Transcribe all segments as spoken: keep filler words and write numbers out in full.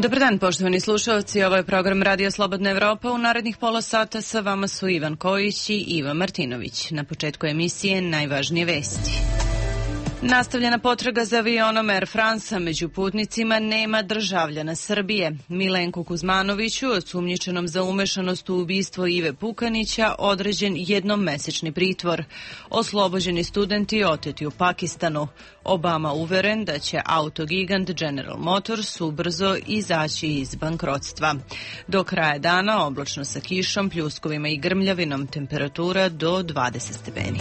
Dobar dan, poštovani slušalci, ovo je program Radio Slobodna Evropa. U narednih pola sata sa vama su Ivan Kojić i Iva Martinović. Na početku emisije najvažnije vesti. Nastavljena potraga za avionom Air France, među putnicima nema državljana Srbije. Milenku Kuzmanoviću, osumnjičenom za umešanost u ubistvo Ive Pukanića, određen jednomesečni pritvor. Oslobođeni studenti oteti u Pakistanu. Obama uveren da će autogigant General Motors ubrzo izaći iz bankrotstva. Do kraja dana oblačno sa kišom, pljuskovima i grmljavinom, temperatura do dvadeset stepeni.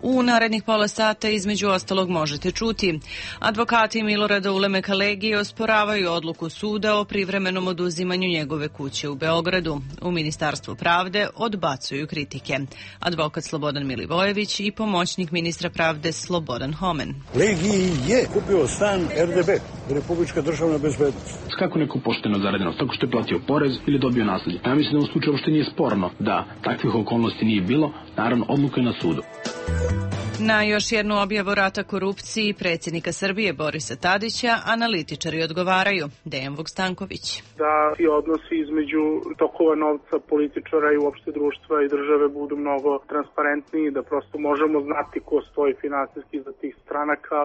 U narednih pola sata između ostalog možete čuti. Advokati Milorada Ulemeka Legije osporavaju odluku suda o privremenom oduzimanju njegove kuće u Beogradu. U Ministarstvu pravde odbacuju kritike. Advokat Slobodan Milivojević i pomoćnik ministra pravde Slobodan Homen. Legiji je kupio stan R D B, Republička državna bezbednost. Kako neko pošteno zaradeno? Tako što je platio porez ili dobio nasledđe? Ja mislim da u slučaju uopšte nije sporno da takvih okolnosti nije bilo. Naravno, odluka je na sudu. Na još jednu objavu rata korupciji predsjednika Srbije Borisa Tadića analitičari odgovaraju. Dejan Vukstanković. Da ti odnosi između tokova novca političara i uopšte društva i države budu mnogo transparentniji, da prosto možemo znati ko stoji finansijski za tih stranaka.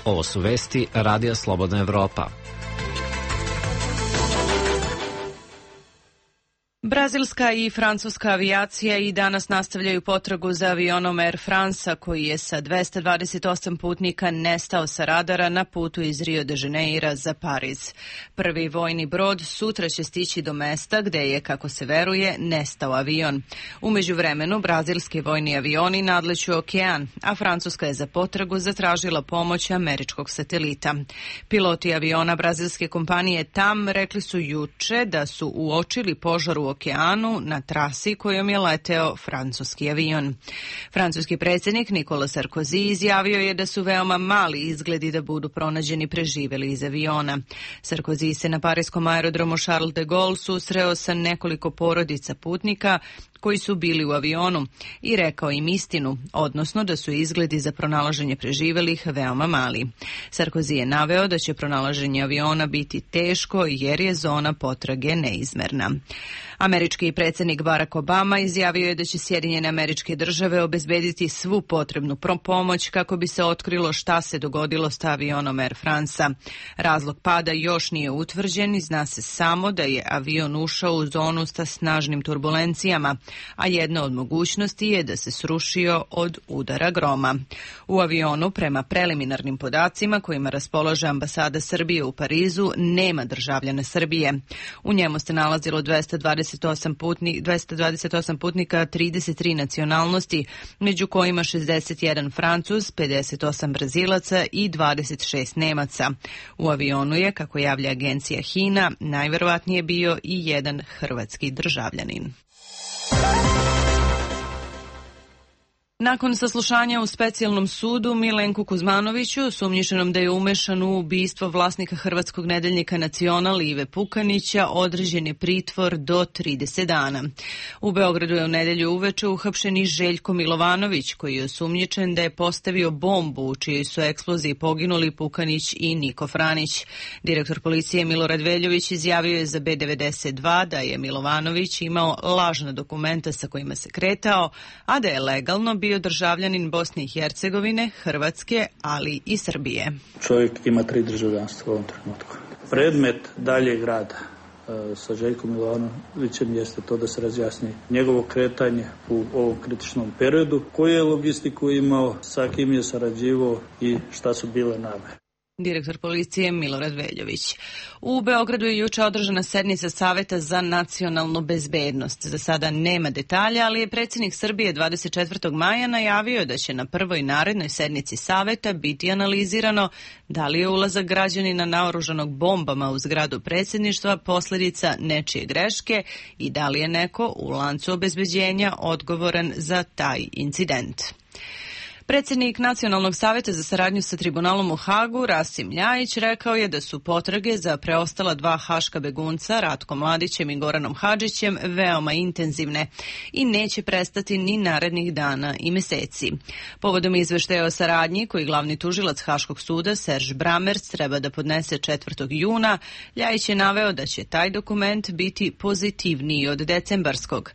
Ovo su vesti Radija Slobodna Evropa. Brazilska i francuska avijacija i danas nastavljaju potragu za avionom Air France, koji je sa dvesta dvadeset osam putnika nestao sa radara na putu iz Rio de Janeira za Pariz. Prvi vojni brod sutra će stići do mesta gde je, kako se veruje, nestao avion. U međuvremenu, brazilski vojni avioni nadleću okean, a Francuska je za potragu zatražila pomoć američkog satelita. Piloti aviona brazilske kompanije T A M rekli su juče da su uočili požar u okeanu na trasi kojom je leteo francuski avion. Francuski predsjednik Nicolas Sarkozy izjavio je da su veoma mali izgledi da budu pronađeni preživeli iz aviona. Sarkozy se na parijskom aerodromu Charles de Gaulle susreo sa nekoliko porodica putnika koji su bili u avionu i rekao im istinu, odnosno da su izgledi za pronalaženje preživelih veoma mali. Sarkozy je naveo da će pronalaženje aviona biti teško jer je zona potrage neizmerna. Američki predsjednik Barack Obama izjavio je da će Sjedinjene Američke Države obezbediti svu potrebnu pomoć kako bi se otkrilo šta se dogodilo s avionom Air France-a. Razlog pada još nije utvrđen i zna se samo da je avion ušao u zonu sa snažnim turbulencijama, a jedna od mogućnosti je da se srušio od udara groma. U avionu, prema preliminarnim podacima kojima raspolaže ambasada Srbije u Parizu, nema državljana Srbije. U njemu se nalazilo dvesta dvadeset osam, putni, dvesta dvadeset osam putnika trideset tri nacionalnosti, među kojima šezdeset jedan Francuz, pedeset osam Brazilaca i dvadeset šest Nemaca. U avionu je, kako javlja agencija HINA, najverovatnije bio i jedan hrvatski državljanin. Nakon saslušanja u specijalnom sudu, Milenku Kuzmanoviću, osumnjičenom da je umešan u ubistvo vlasnika hrvatskog nedeljnika Nacional Ive Pukanića, određen je pritvor do trideset dana. U Beogradu je u nedelju uveče uhapšen i Željko Milovanović, koji je osumnjičen da je postavio bombu u čijoj su eksploziji poginuli Pukanić i Niko Franić. Direktor policije Milorad Veljović izjavio je za B devedeset dva da je Milovanović imao lažna dokumenta sa kojima se kretao, a da je legalno bio državljanin Bosne i Hercegovine, Hrvatske, ali i Srbije. Čovjek ima tri državljanstva u ovom trenutku. Predmet daljeg rada e, sa Željkom Milovanovićem jeste to da se razjasni njegovo kretanje u ovom kritičnom periodu, koju je logistiku imao, sa kim je sarađivao i šta su bile namere. Direktor policije Milorad Veljović. U Beogradu je juče održana sednica Saveta za nacionalnu bezbednost. Za sada nema detalja, ali je predsjednik Srbije dvadeset četvrtog maja najavio da će na prvoj narednoj sednici Saveta biti analizirano da li je ulazak građanina naoružanog bombama u zgradu predsjedništva posljedica nečije greške i da li je neko u lancu obezbeđenja odgovoran za taj incident. Predsjednik Nacionalnog savjeta za saradnju sa tribunalom u Hagu, Rasim Ljajić, rekao je da su potrage za preostala dva haška begunca, Ratkom Mladićem i Goranom Hadžićem, veoma intenzivne i neće prestati ni narednih dana i meseci. Povodom izveštaja o saradnji koji glavni tužilac Haškog suda Serž Bramerc treba da podnese četvrtog juna, Ljajić je naveo da će taj dokument biti pozitivniji od decembarskog.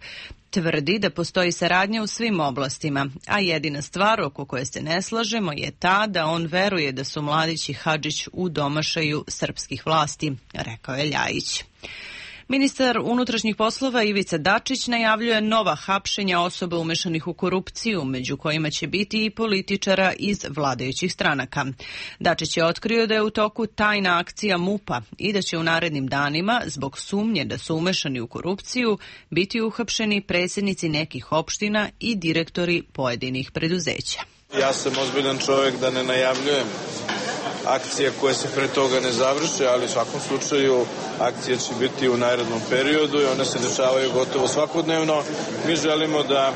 Tvrdi da postoji saradnja u svim oblastima, a jedina stvar oko koje se ne slažemo je ta da on veruje da su Mladić i Hadžić u domašaju srpskih vlasti, rekao je Ljajić. Ministar unutrašnjih poslova Ivica Dačić najavljuje nova hapšenja osoba umešanih u korupciju, među kojima će biti i političara iz vladajućih stranaka. Dačić je otkrio da je u toku tajna akcija MUP-a i da će u narednim danima, zbog sumnje da su umešani u korupciju, biti uhapšeni predsjednici nekih opština i direktori pojedinih preduzeća. Ja sam ozbiljan čovjek da ne najavljujem akcije koje se pre toga ne završe, ali u svakom slučaju akcije će biti u narednom periodu i one se dešavaju gotovo svakodnevno. Mi želimo da e,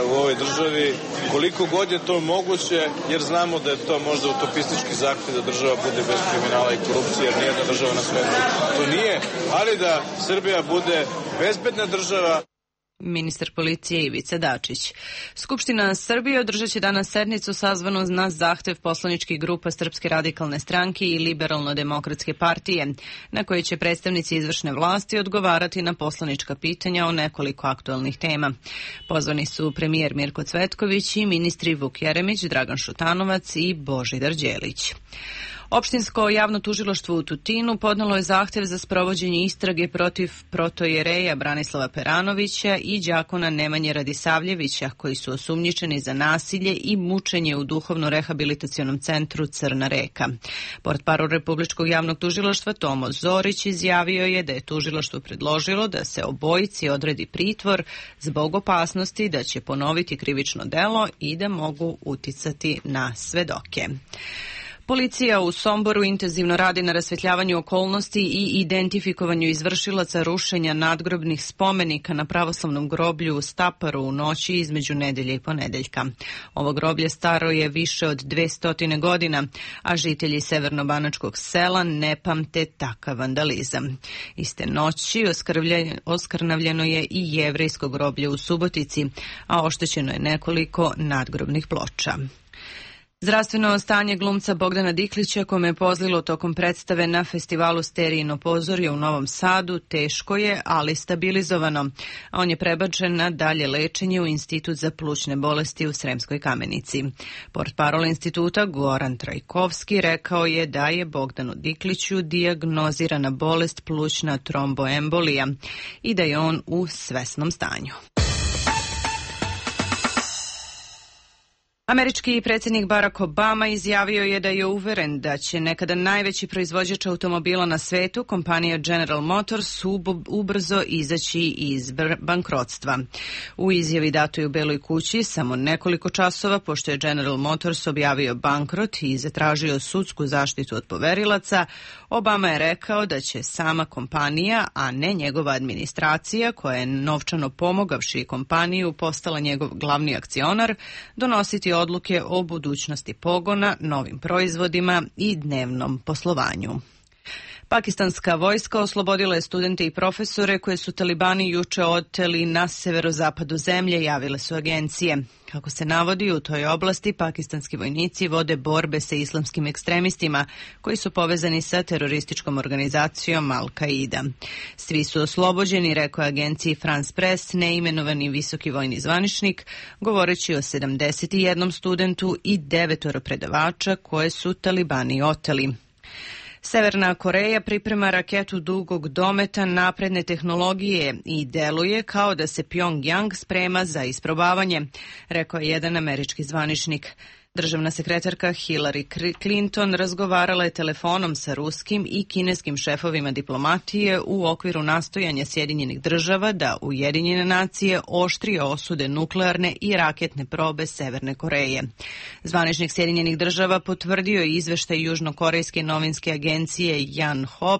u ovoj državi, koliko god je to moguće, jer znamo da je to možda utopistički zahtev da država bude bez kriminala i korupcije, jer nijedna država na svetu to nije, ali da Srbija bude bezbedna država. Ministar policije Ivica Dačić. Skupština Srbije održat će danas sednicu sazvanu na zahtev poslaničkih grupa Srpske radikalne stranke i Liberalno-demokratske partije, na kojoj će predstavnici izvršne vlasti odgovarati na poslanička pitanja o nekoliko aktualnih tema. Pozvani su premijer Mirko Cvetković i ministri Vuk Jeremić, Dragan Šutanovac i Božidar Đelić. Opštinsko javno tužilaštvo u Tutinu podnelo je zahtev za sprovođenje istrage protiv protojereja Branislava Peranovića i đakona Nemanje Radisavljevića, koji su osumnjičeni za nasilje i mučenje u duhovno-rehabilitacionom centru Crna Reka. Portparol Republičkog javnog tužilaštva Tomo Zorić izjavio je da je tužilaštvo predložilo da se obojici odredi pritvor zbog opasnosti da će ponoviti krivično delo i da mogu uticati na svedoke. Policija u Somboru intenzivno radi na rasvetljavanju okolnosti i identifikovanju izvršilaca rušenja nadgrobnih spomenika na pravoslavnom groblju u Staparu u noći između nedelje i ponedeljka. Ovo groblje staro je više od dvesta godina, a žitelji severnobanačkog sela ne pamte takav vandalizam. Iste noći oskrnavljeno je i jevrejsko groblje u Subotici, a oštećeno je nekoliko nadgrobnih ploča. Zdravstveno stanje glumca Bogdana Diklića, kome je pozlilo tokom predstave na festivalu Sterijino pozorje u Novom Sadu, teško je, ali stabilizovano. On je prebačen na dalje lečenje u Institut za plućne bolesti u Sremskoj Kamenici. Portparol instituta Goran Trajkovski rekao je da je Bogdanu Dikliću dijagnozirana bolest plućna tromboembolija i da je on u svesnom stanju. Američki predsjednik Barack Obama izjavio je da je uveren da će nekada najveći proizvođač automobila na svetu, kompanija General Motors, ubrzo izaći iz bankrotstva. U izjavi datoj u Beloj kući samo nekoliko časova pošto je General Motors objavio bankrot i zatražio sudsku zaštitu od poverilaca, Obama je rekao da će sama kompanija, a ne njegova administracija, koja je novčano pomogavši kompaniju postala njegov glavni akcionar, donositi odluke o budućnosti pogona, novim proizvodima i dnevnom poslovanju. Pakistanska vojska oslobodila je studente i profesore koje su talibani juče oteli na severozapadu zemlje, javile su agencije. Kako se navodi, u toj oblasti pakistanski vojnici vode borbe sa islamskim ekstremistima koji su povezani sa terorističkom organizacijom Al-Qaida. Svi su oslobođeni, rekao je agenciji France Press neimenovani visoki vojni zvaničnik, govoreći o sedamdeset jednom studentu i devetoro predavača koje su talibani oteli. Severna Koreja priprema raketu dugog dometa napredne tehnologije i deluje kao da se Pjongjang sprema za isprobavanje, rekao je jedan američki zvaničnik. Državna sekretarka Hillary Clinton razgovarala je telefonom sa ruskim i kineskim šefovima diplomatije u okviru nastojanja Sjedinjenih država da Ujedinjene nacije oštrije osude nuklearne i raketne probe Severne Koreje. Zvaničnik Sjedinjenih država potvrdio je izveštaj južnokorejske novinske agencije Yonhap,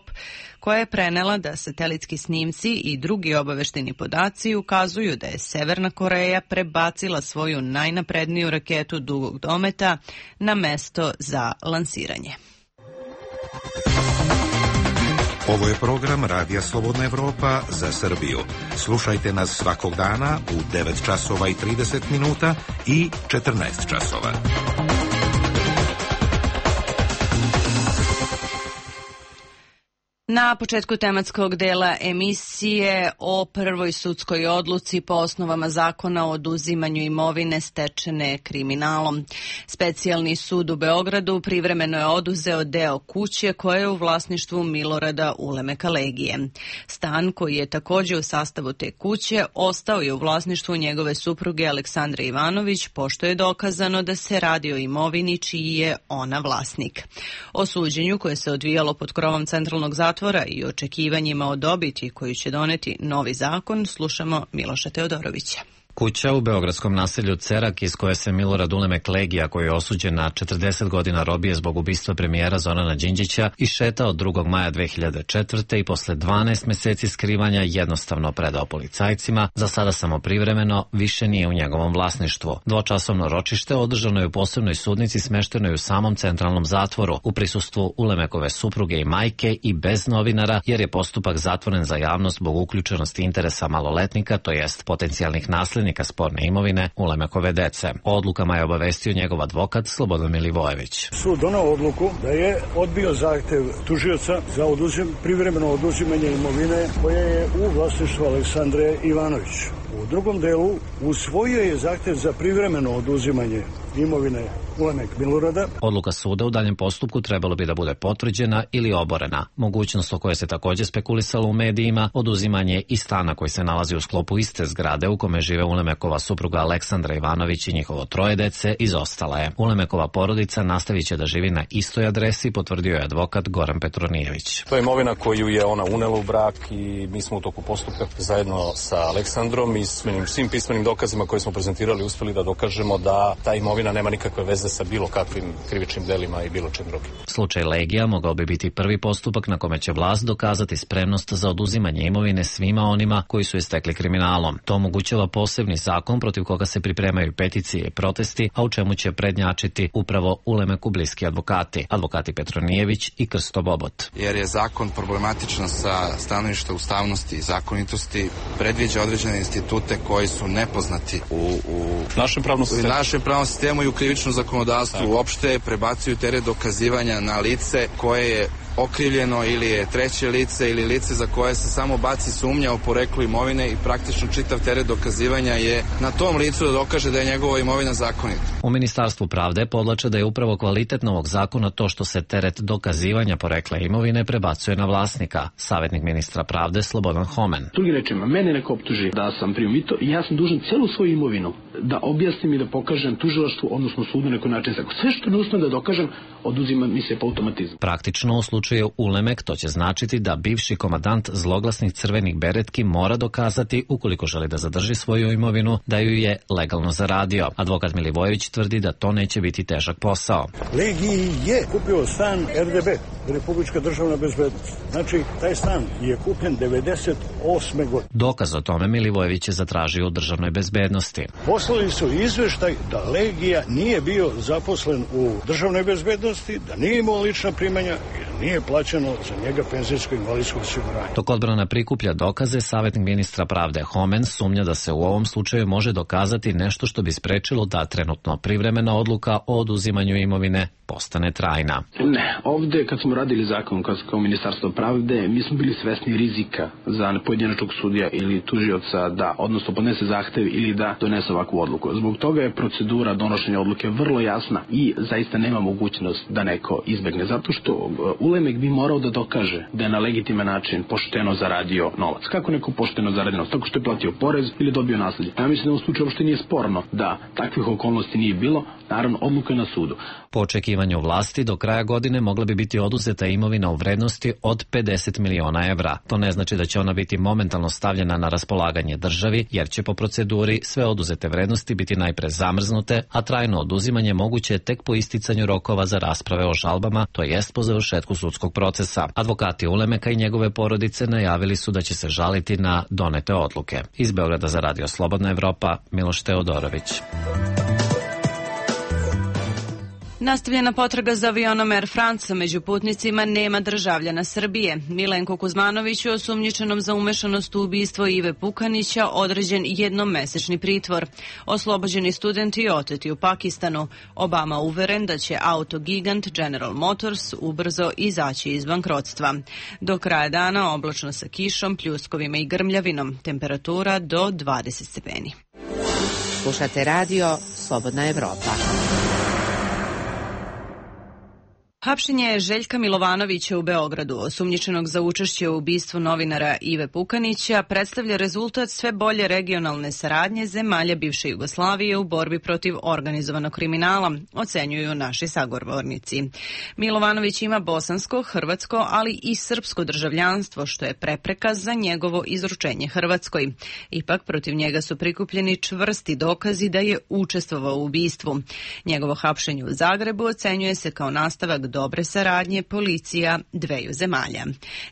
koja je prenela da satelitski snimci i drugi obaveštajni podaci ukazuju da je Severna Koreja prebacila svoju najnapredniju raketu dugog dometa na mesto za lansiranje. Ovo je program Radija Slobodna Evropa za Srbiju. Slušajte nas svakog dana u devet časova i trideset minuta i četrnaest časova. Na početku tematskog dela emisije o prvoj sudskoj odluci po osnovama zakona o oduzimanju imovine stečene kriminalom. Specijalni sud u Beogradu privremeno je oduzeo deo kuće koja je u vlasništvu Milorada Ulemeka Legije. Stan, koji je također u sastavu te kuće, ostao je u vlasništvu njegove supruge Aleksandre Ivanović, pošto je dokazano da se radi o imovini čiji je ona vlasnik. O suđenju koje se odvijalo pod krovom centralnog zatvora i očekivanjima o dobiti koju će doneti novi zakon, slušamo Miloša Teodorovića. Kuća u beogradskom naselju Cerak, iz koje se Milorad Ulemek Legija, koji je osuđen na četrdeset godina robije zbog ubistva premijera Zorana Đinđića, išetao drugog maja dve hiljade četvrte. i posle dvanaest meseci skrivanja jednostavno predao policajcima, za sada samo privremeno, više nije u njegovom vlasništvu. Dvočasovno ročište održano je u posebnoj sudnici smeštenoj u samom centralnom zatvoru, u prisustvu Ulemekove supruge i majke i bez novinara, jer je postupak zatvoren za javnost zbog uključenosti interesa maloletnika, to jest potencijalnih naslednika sporne imovine Ulemekove dece. O odlukama je obavestio njegov advokat Slobodan Milivojević. Sud donao odluku da je odbio zahtev tužioca za oduzim, privremeno oduzimanje imovine koje je u vlasništvu Aleksandre Ivanović. U drugom delu usvojio je zahtev za privremeno oduzimanje imovine Ulemek Milorada. Odluka suda u daljem postupku trebalo bi da bude potvrđena ili oborena. Mogućnost o kojoj se također spekulisalo u medijima, oduzimanje i stana koji se nalazi u sklopu iste zgrade u kome žive Ulemekova supruga Aleksandra Ivanović i njihovo troje dece, izostala je. Ulemekova porodica nastavit će da živi na istoj adresi, potvrdio je advokat Goran Petronijević. To je imovina koju je ona unela u brak i mi smo u toku postupka zajedno sa Aleksandrom i svim pismenim dokazima koje smo prezentirali uspeli da dokažemo da ta imovina nema nikakve veze sa bilo kakvim krivičnim delima i bilo čim drugim. Slučaj Legija mogao bi biti prvi postupak na kome će vlast dokazati spremnost za oduzimanje imovine svima onima koji su je stekli kriminalom. To omogućava posebni zakon protiv koga se pripremaju peticije i protesti, a u čemu će prednjačiti upravo Ulemeku bliski advokati, advokati Petronijević i Krsto Bobot. Jer je zakon problematičan sa stanovišta ustavnosti i zakonitosti, predviđa određene institute koji su nepoznati u, u našem pravnom sistemu. našem pravnom sistemu i u krivičnom zakonodavstvu. Uopšte prebacuju teret dokazivanja na lice koje je okrivljeno ili je treće lice ili lice za koje se samo baci sumnja o poreklu imovine i praktično čitav teret dokazivanja je na tom licu da dokaže da je njegova imovina zakonita. U Ministarstvu pravde podlače da je upravo kvalitet novog zakona to što se teret dokazivanja porekla imovine prebacuje na vlasnika. Savjetnik ministra pravde Slobodan Homen. Drugim rečima, mene neko optuži da sam primio mito i ja sam dužan celu svoju imovinu da objasnim i da pokažem tužilaštvu, odnosno sudu na neki način. Sve što ne uspem da dokažem, oduzima mi se po automatizmu. Praktično u slučaju Ulemek to će značiti da bivši komandant zloglasnih crvenih beretki mora dokazati, ukoliko želi da zadrži svoju imovinu, da ju je legalno zaradio. Advokat Milivojević tvrdi da to neće biti težak posao. Legiji je kupio stan R D B, Republička državna bezbednost. Znači, taj stan je kupljen devedeset osme godine. Dokaz o tome Milivojević je zatražio u državnoj bezbednosti. Poslali su izveštaj da Legija nije bio zaposlen u državnoj bezbednosti, da nije imao lična primanja i da nije plaćeno za njega penzijsko i invalidsko osiguranje. Dok odbrana prikuplja dokaze, savjetnik ministra pravde Homen sumnja da se u ovom slučaju može dokazati nešto što bi sprečilo da trenutno privremena odluka o oduzimanju imovine postane trajna. Ne, ovde kad smo radili zakon kao, kao Ministarstvo pravde, mi smo bili svesni rizika za pojedinačnog sudija ili tužioca da, odnosno podnese zahtev ili da donese ovakvu odluku. Zbog toga je procedura donošenja odluke vrlo jasna i zaista nema mogućnost da neko izbegne, zato što Ulemek bi morao da dokaže da je na legitiman način pošteno zaradio novac. Kako neko pošteno zaradio novac? Tako što je platio porez ili dobio nasledđe. Ja mislim da u slučaju uopšte nije sporno da takvih okolnosti nije bilo. Naravno, odluka je na sudu. Po očekivanju vlasti, do kraja godine mogla bi biti oduzeta imovina u vrednosti od pedeset miliona evra. To ne znači da će ona biti momentalno stavljena na raspolaganje državi, jer će po proceduri sve oduzete vrednosti biti najpre zamrznute, a trajno oduzimanje moguće je tek po isticanju rokova za rasprave o žalbama, to jest po završetku sudskog procesa. Advokati Ulemeka i njegove porodice najavili su da će se žaliti na donete odluke. Iz Beograda za Radio Slobodna Evropa, Miloš Teodorović. Nastavljena potraga za avionom Air France, među putnicima nema državljana Srbije. Milenko Kuzmanoviću, osumnjičenom za umešanost u ubistvo Ive Pukanića, određen jednomesečni pritvor. Oslobođeni studenti oteti u Pakistanu. Obama uveren da će autogigant General Motors ubrzo izaći iz bankrotstva. Do kraja dana oblačno sa kišom, pljuskovima i grmljavinom. Temperatura do dvadeset stepeni. Slušate radio Slobodna Evropa. Hapšenje Željka Milovanovića u Beogradu, osumnjičenog za učešće u ubistvu novinara Ive Pukanića, predstavlja rezultat sve bolje regionalne saradnje zemalja bivše Jugoslavije u borbi protiv organizovanog kriminala, ocenjuju naši sagovornici. Milovanović ima bosansko, hrvatsko, ali i srpsko državljanstvo, što je prepreka za njegovo izručenje Hrvatskoj. Ipak, protiv njega su prikupljeni čvrsti dokazi da je učestvovao u ubistvu. Njegovo hapšenje u Zagrebu ocenjuje se kao nastavak dobre saradnje policija dveju zemalja.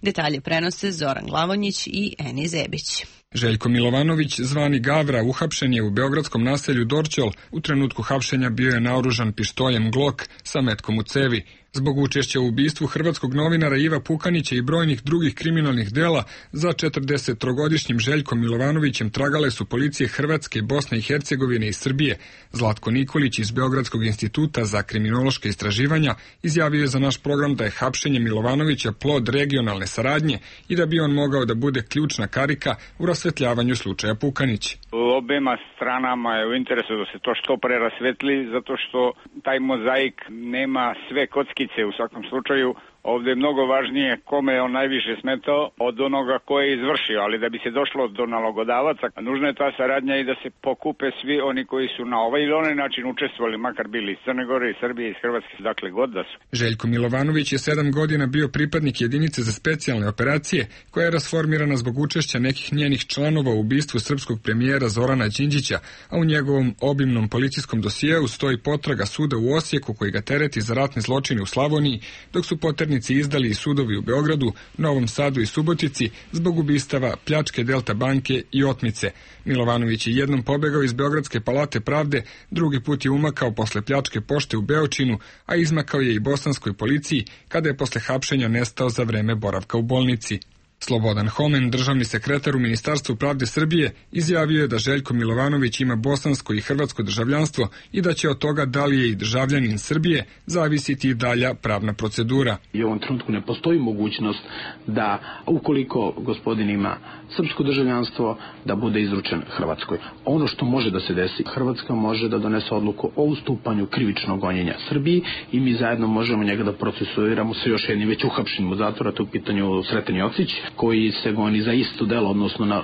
Detalje prenose Zoran Glavonjić i Eni Zebić. Željko Milovanović, zvani Gavra, uhapšen je u beogradskom naselju Dorćol. U trenutku hapšenja bio je naoružan pištoljem Glock sa metkom u cevi. Zbog učešća u ubistvu hrvatskog novinara Iva Pukanića i brojnih drugih kriminalnih dela, za četrdesettrogodišnjim Željkom Milovanovićem tragale su policije Hrvatske, Bosne i Hercegovine i Srbije. Zlatko Nikolić iz Beogradskog instituta za kriminološke istraživanja izjavio je za naš program da je hapšenje Milovanovića plod regionalne saradnje i da bi on mogao da bude ključna karika u rasvetljavanju slučaja Pukanić. Obema stranama je u interesu da se to što pre rasvetli, zato što taj mozaik nema sve kockice u svakom slučaju. Ovdje je mnogo važnije kome je on najviše smetao od onoga koje je izvršio, ali da bi se došlo do nalogodavaca, nužna je ta saradnja i da se pokupe svi oni koji su na ovaj ili onaj način učestvovali, makar bili iz Crne Gore, iz Srbije, iz Hrvatske, dakle god da su. Željko Milovanović je sedam godina bio pripadnik jedinice za specijalne operacije, koja je rasformirana zbog učešća nekih njenih članova u ubistvu srpskog premijera Zorana Đinđića, a u njegovom obimnom policijskom dosijeu stoji potraga suda u Osijeku koji ga tereti za ratne zločine u Slavoniji, dok su poterni izdali i sudovi u Beogradu, Novom Sadu i Subotici zbog ubistava, pljačke Delta banke i otmice. Milovanović je jednom pobegao iz Beogradske palate pravde, drugi put je umakao posle pljačke pošte u Beočinu, a izmakao je i bosanskoj policiji kada je posle hapšenja nestao za vreme boravka u bolnici. Slobodan Homen, državni sekretar u Ministarstvu pravde Srbije, izjavio je da Željko Milovanović ima bosansko i hrvatsko državljanstvo i da će od toga da li je i državljanin Srbije zavisiti i dalja pravna procedura. I u ovom trenutku ne postoji mogućnost da ukoliko gospodin ima srpsko državljanstvo da bude izručen Hrvatskoj. Ono što može da se desi, Hrvatska može da donese odluku o ustupanju krivičnog gonjenja Srbiji i mi zajedno možemo njega da procesuiramo sa još jednim već uhapšenim u zatvora, to u pitanju Sreten Jocić, koji se goni za isto delo, odnosno na,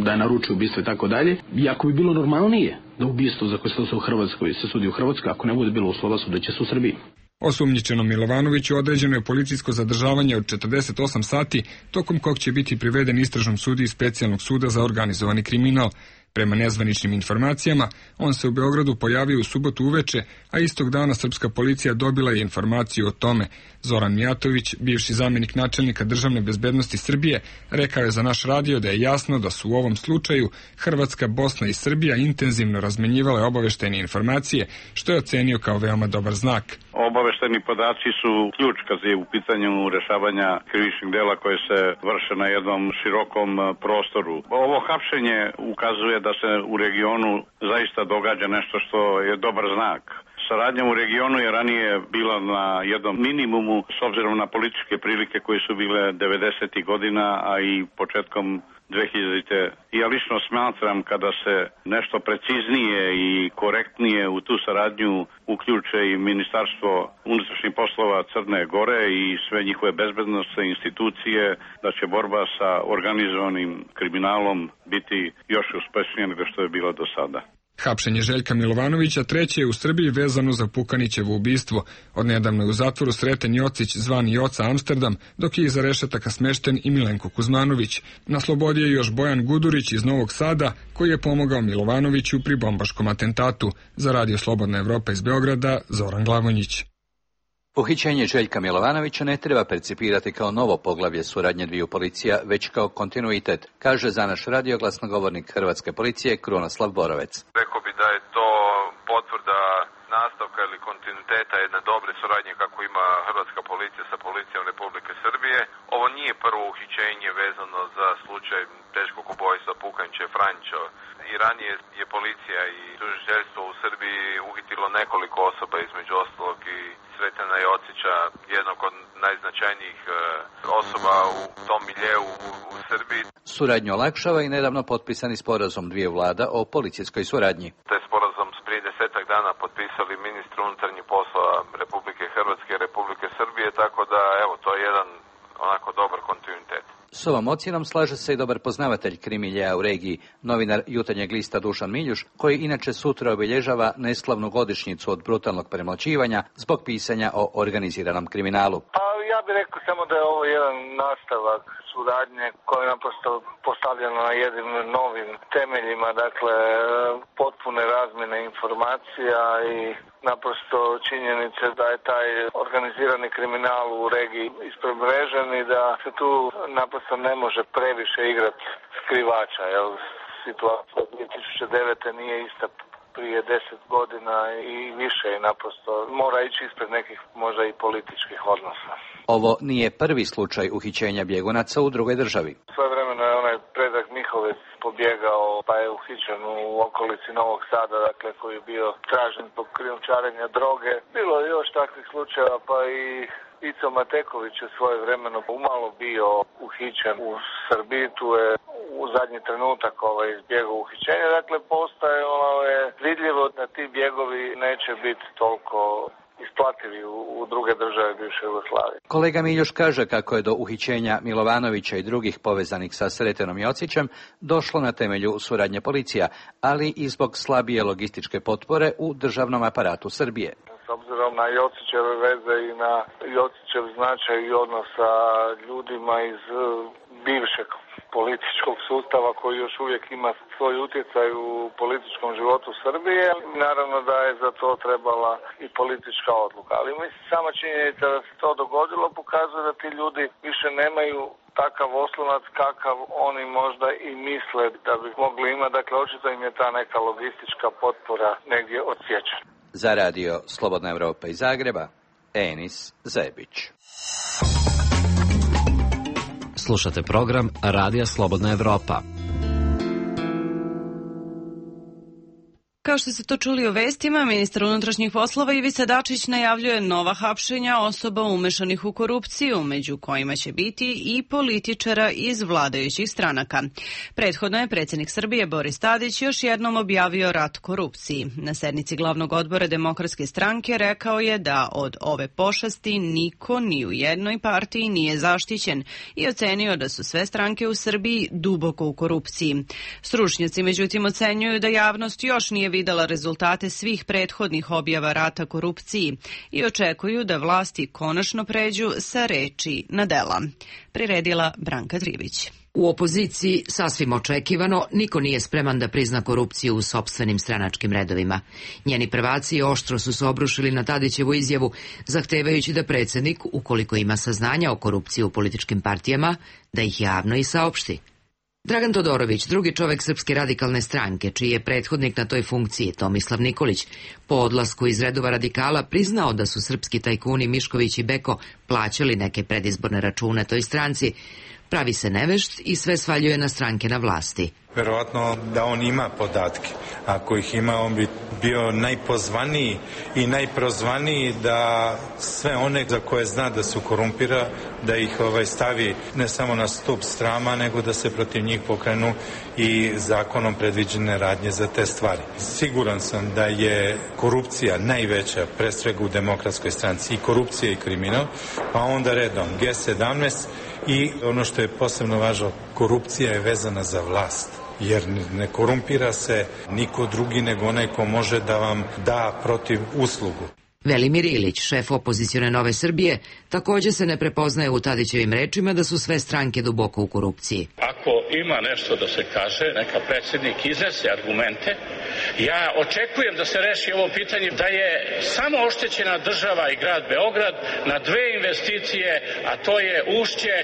da je naručio ubistvo i tako dalje. Iako bi bilo normalnije da ubistvo za koje se u Hrvatskoj se sudi u Hrvatskoj, ako ne bude bilo uslova, sudeće se u Srbiji. Osumnjičenom Milovanoviću određeno je policijsko zadržavanje od četrdeset osam sati, tokom kog će biti priveden istražnom sudiji specijalnog suda za organizovani kriminal. Prema nezvaničnim informacijama, on se u Beogradu pojavio u subotu uveče, a istog dana srpska policija dobila je informaciju o tome. Zoran Mijatović, bivši zamjenik načelnika državne bezbednosti Srbije, rekao je za naš radio da je jasno da su u ovom slučaju Hrvatska, Bosna i Srbija intenzivno razmenjivale obaveštajne informacije, što je ocenio kao veoma dobar znak. Obaveštajni podaci su ključ kad je u pitanju rešavanja krivičnih dela koje se vrše na jednom širokom prostoru. Ovo hapšenje ukazuje da se u regionu zaista događa nešto što je dobar znak. Saradnja u regionu je ranije bila na jednom minimumu s obzirom na političke prilike koje su bile devedesetih godina, a i početkom dve hiljadite. Ja lično smatram kada se nešto preciznije i korektnije u tu saradnju uključe i Ministarstvo unutrašnjih poslova Crne Gore i sve njihove bezbednosne institucije, da će borba sa organizovanim kriminalom biti još uspešnija nego što je bila do sada. Hapšenje Željka Milovanovića treće je u Srbiji vezano za Pukanićevo ubistvo. Odnedavno je u zatvoru Sreten Jocić, zvani Joca Amsterdam, dok je iza rešetaka smešten i Milenko Kuzmanović. Na slobodi je još Bojan Gudurić iz Novog Sada, koji je pomogao Milovanoviću pri bombaškom atentatu. Za Radio Slobodna Evropa iz Beograda, Zoran Glavonjić. Uhićenje Željka Milovanovića ne treba percipirati kao novo poglavlje suradnje dviju policija, već kao kontinuitet, kaže za naš radio glasnogovornik Hrvatske policije Krunoslav Borovec. Rekao bi da je to potvrda nastavka ili kontinuiteta jedne dobre suradnje kako ima Hrvatska policija sa policijom Republike Srbije. Ovo nije prvo uhićenje vezano za slučaj teškog ubojstva Pukanića Franjića. I ranije je policija i tužiteljstvo u Srbiji uhitilo nekoliko osoba, između ostalog i Sretena Jocića, jednog od najznačajnijih osoba u tom miljeu u Srbiji. Suradnju olakšava i nedavno potpisani sporazum dvije vlada o policijskoj suradnji. Taj sporazum s prije desetak dana potpisali ministri unutarnjih poslova Republike Hrvatske i Republike Srbije, tako da evo to je jedan onako dobar kontinuitet. S ovom ocjenom slaže se i dobar poznavatelj krimiljeja u regiji, novinar Jutarnjeg lista Dušan Miljuš, koji inače sutra obilježava neslavnu godišnjicu od brutalnog premlaćivanja zbog pisanja o organiziranom kriminalu. Pa ja bih rekao samo da je ovo jedan nastavak suradnje koja je naprosto postavljena na jednim novim temeljima, dakle potpune razmjene informacija i naprosto činjenice da je taj organizirani kriminal u regiji ispremrežen i da se tu naprosto ne može previše igrati skrivača, jer situacija dvije tisuće devete nije ista prije deset godina i više i naprosto mora ići ispred nekih možda i političkih odnosa. Ovo nije prvi slučaj uhićenja bjegunaca u drugoj državi. Svojevremeno je onaj Predrag Mihovec pobjegao pa je uhićen u okolici Novog Sada, dakle koji je bio tražen zbog krijumčarenja droge. Bilo je još takvih slučajeva, pa i Ico Mateković je svoje vremeno umalo bio uhićen u Srbiji, tu je u zadnji trenutak ovaj izbjegao uhićenja, dakle postaje ono je vidljivo da ti bjegovi neće biti toliko isplativi u, u druge države bivše Jugoslavije. Kolega Miljuš kaže kako je do uhićenja Milovanovića i drugih povezanih sa Sretenom Jocićem došlo na temelju suradnje policija, ali i zbog slabije logističke potpore u državnom aparatu Srbije. S obzirom na Jocićeve veze i na Jocićev značaj i odnos sa ljudima iz bivšeg političkog sustava koji još uvijek ima svoj utjecaj u političkom životu Srbije. Naravno da je za to trebala i politička odluka. Ali mislim, sama činjenica da se to dogodilo pokazuje da ti ljudi više nemaju takav oslonac kakav oni možda i misle da bi mogli imati. Dakle, očito im je ta neka logistička potpora negdje odsječena. Za radio Slobodna Evropa iz Zagreba, Enis Zebić. Slušate program Radija Slobodna Evropa. Kao što ste to čuli u vestima, ministar unutrašnjih poslova Ivica Dačić najavljuje nova hapšenja osoba umešanih u korupciju, među kojima će biti i političara iz vladajućih stranaka. Prethodno je predsjednik Srbije Boris Tadić još jednom objavio rat korupciji. Na sednici glavnog odbora Demokratske stranke rekao je da od ove pošasti niko ni u jednoj partiji nije zaštićen i ocenio da su sve stranke u Srbiji duboko u korupciji. Stručnjaci međutim ocenjuju da javnost još nije videla rezultate svih prethodnih objava rata korupciji i očekuju da vlasti konačno pređu sa reči na dela. Priredila Branka Trivić. U opoziciji, sasvim očekivano, niko nije spreman da prizna korupciju u sopstvenim stranačkim redovima. Njeni prvaci oštro su se obrušili na Tadićevu izjavu, zahtevajući da predsjednik, ukoliko ima saznanja o korupciji u političkim partijama, da ih javno i saopšti. Dragan Todorović, drugi čovek Srpske radikalne stranke, čiji je prethodnik na toj funkciji, Tomislav Nikolić, po odlasku iz redova radikala priznao da su srpski tajkuni Mišković i Beko plaćali neke predizborne račune toj stranci, pravi se nevešt i sve svaljuje na stranke na vlasti. Verovatno da on ima podatke. Ako ih ima, on bi bio najpozvaniji i najprozvaniji da sve one za koje zna da su korumpira, da ih ovaj stavi ne samo na stup srama, nego da se protiv njih pokrenu i zakonom predviđene radnje za te stvari. Siguran sam da je korupcija najveća prestrega u Demokratskoj stranci, i korupcija i kriminal, pa onda redom G sedamnaest i ono što je posebno važno, korupcija je vezana za vlast. Jer ne korumpira se niko drugi nego onaj ko može da vam da protiv uslugu. Velimir Ilić, šef opozicione Nove Srbije, takođe se ne prepoznaje u Tadićevim rečima da su sve stranke duboko u korupciji. Ako ima nešto da se kaže, neka predsjednik iznese argumente. Ja očekujem da se reši ovo pitanje da je samo oštećena država i grad Beograd na dve investicije, a to je Ušće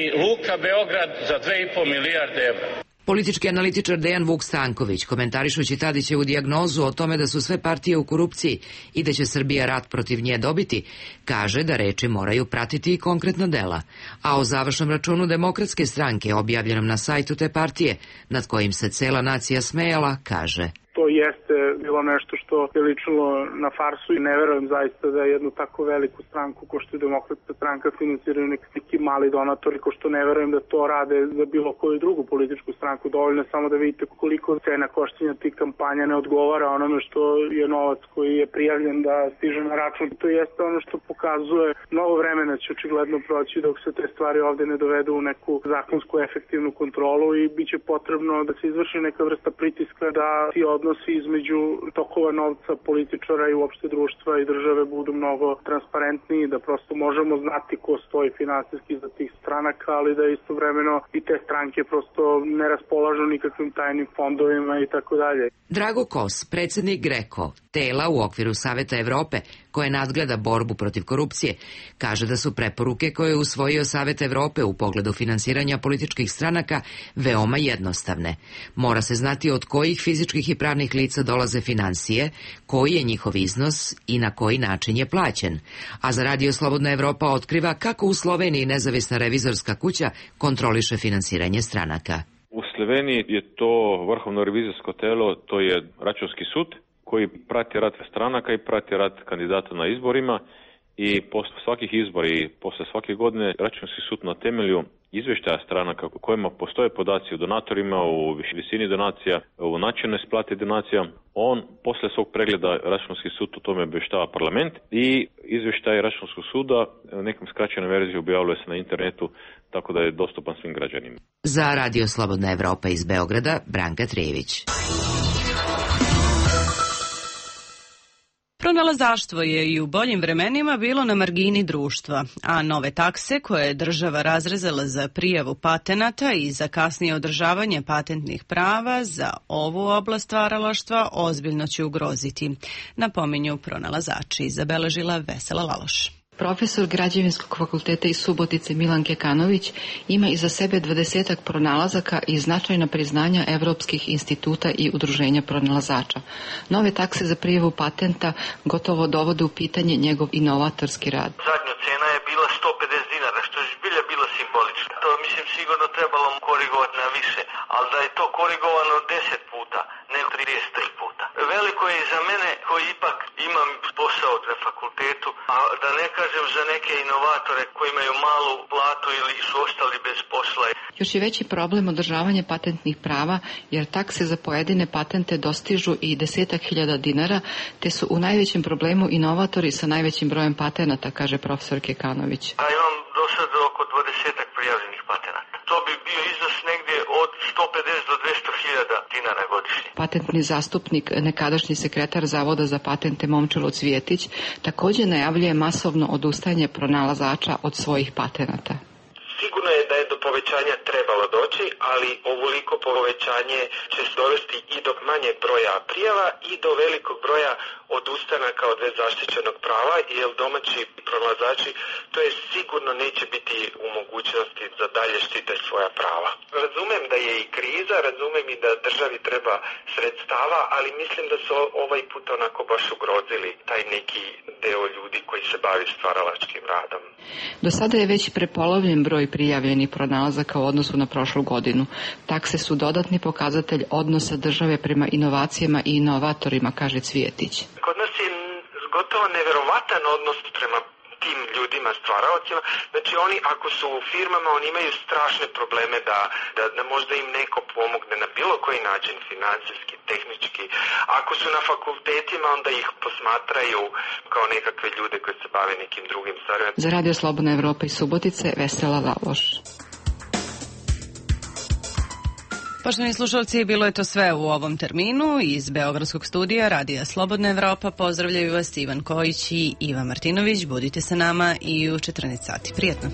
i Luka Beograd za dve i po milijarde evra. Politički analitičar Dejan Vuk Stanković, komentarišući Tadićevu dijagnozu o tome da su sve partije u korupciji i da će Srbija rat protiv nje dobiti, kaže da reči moraju pratiti i konkretna dela. A o završnom računu Demokratske stranke, objavljenom na sajtu te partije, nad kojim se cela nacija smejala, kaže: To jeste bilo nešto što je ličilo na farsu i ne verujem zaista da je jednu tako veliku stranku ko što je Demokratska stranka finansiraju neki mali donatori, ko što ne verujem da to rade za bilo koju drugu političku stranku. Dovoljno samo da vidite koliko cena koštanja tih kampanja ne odgovara onome što je novac koji je prijavljen da stiže na račun. To jeste ono što pokazuje mnogo vremena će očigledno proći dok se te stvari ovde ne dovedu u neku zakonsku efektivnu kontrolu i bit će potrebno da se izvrši neka vrsta pritiska da ti odnosi između tokova novca političara i uopšte društva i države budu mnogo transparentniji, da prosto možemo znati ko stoji finansijski za tih stranaka, ali da istovremeno i te stranke prosto ne raspolažu nikakvim tajnim fondovima i tako dalje. Drago Kos, predsjednik Greko, tela u okviru Saveta Evrope, koje nadgleda borbu protiv korupcije, kaže da su preporuke koje je usvojio Savet Evrope u pogledu finansiranja političkih stranaka veoma jednostavne. Mora se znati od kojih fizičkih i pravnih lica dolaze finansije, koji je njihov iznos i na koji način je plaćen. A za Radio Slobodna Evropa otkriva kako u Sloveniji nezavisna revizorska kuća kontroliše finansiranje stranaka. U Sloveniji je to vrhovno revizorsko telo, to je Računski sud, koji prati rad stranaka i prati rad kandidata na izborima i posle svakih izbora i posle svake godine Računski sud na temelju izveštaja stranaka u kojima postoje podaci o donatorima, u visini donacija, u načinu isplate donacija, on posle svog pregleda Računski sud o tome obještava parlament i izveštaj Računskog suda u nekom skraćenom verziji objavljuje se na internetu, tako da je dostupan svim građanima. Za Radio Slobodna Evropa iz Beograda, Branka Trijević. Pronalazaštvo je i u boljim vremenima bilo na margini društva, a nove takse koje je država razrezala za prijavu patenata i za kasnije održavanje patentnih prava za ovu oblast stvaralaštva ozbiljno će ugroziti, napominju pronalazači, zabeležila Vesela Laloš. Profesor Građevinskog fakulteta iz Subotice Milan Kekanović ima iza sebe dvadesetak pronalazaka i značajna priznanja evropskih instituta i udruženja pronalazača. Nove takse za prijavu patenta gotovo dovode u pitanje njegov inovatorski rad. Zadnja cena je bila sto pedeset dinara, što je zbilja bilo simbolično. To mislim sigurno trebalo korigovati na više, ali da je to korigovano deset puta, nego trideset tri puta. Veliko je i za mene koji ipak imam posao na fakultetu, a da ne kažem za neke inovatore koji imaju malu platu ili su ostali bez posla. Još je veći problem održavanje patentnih prava, jer takse za pojedine patente dostižu i desetak hiljada dinara, te su u najvećem problemu inovatori sa najvećim brojem patenata, kaže profesor Kekanović. A imam do sada oko dvadesetak prijavljenih patenata. To bi bio iznos negdje od sto pedeset do dvesta hiljada dinara godišnje. Patentni zastupnik, nekadašnji sekretar Zavoda za patente Momčilo Cvijetić, također najavljuje masovno odustajanje pronalazača od svojih patenata. Sigurno je da je do povećanja trebalo doći, ali ovoliko povećanje će dovesti i do manjeg broja prijava i do velikog broja odustanaka od već zaštićenog prava, jer domaći pronalazači to je sigurno neće biti u mogućnosti da dalje štite svoja prava. Razumem da je i kriza, razumem i da državi treba sredstava, ali mislim da su ovaj put onako baš ugrozili taj neki deo ljudi koji se bavi stvaralačkim radom. Do sada je već prepolovljen broj prijavljenih pronalazaka pronalazaka u odnosu na prošlu godinu. Takse su dodatni pokazatelj odnosa države prema inovacijama i inovatorima, kaže Cvijetić. Kod nas je gotovo neverovatan odnos prema tim ljudima, stvaraocima. Znači oni ako su u firmama, oni imaju strašne probleme da, da, da možda im neko pomogne na bilo koji način, financijski, tehnički. Ako su na fakultetima, onda ih posmatraju kao nekakve ljude koji se bave nekim drugim stvarima. Za Radio Slobodna Evropa iz Subotice, Vesela Laloš. Poštovani slušalci, bilo je to sve u ovom terminu. Iz Beogradskog studija Radija Slobodna Evropa pozdravljaju vas Ivan Kojić i Iva Martinović. Budite sa nama i u četrnaest sati. Prijetno.